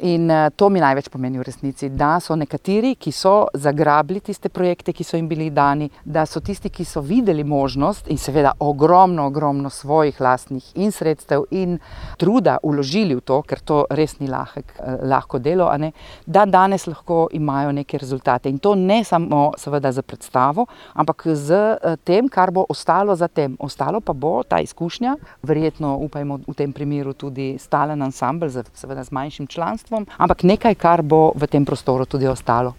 In to mi največ pomeni v resnici, da so nekateri, ki so zagrabili tiste projekte, ki so jim bili dani, da so tisti, ki so videli možnost in seveda ogromno svojih lastnih in sredstev in truda vložili v to, ker to res ni lahko delo, a ne, da danes lahko imajo neke rezultate. In to ne samo seveda za predstavo, ampak z tem, kar bo ostalo za tem. Ostalo pa bo ta izkušnja, verjetno upajmo v tem primeru tudi stalen ansambel, seveda z manjšim članstvom, ampak nekaj, kar bo v tem prostoru tudi ostalo.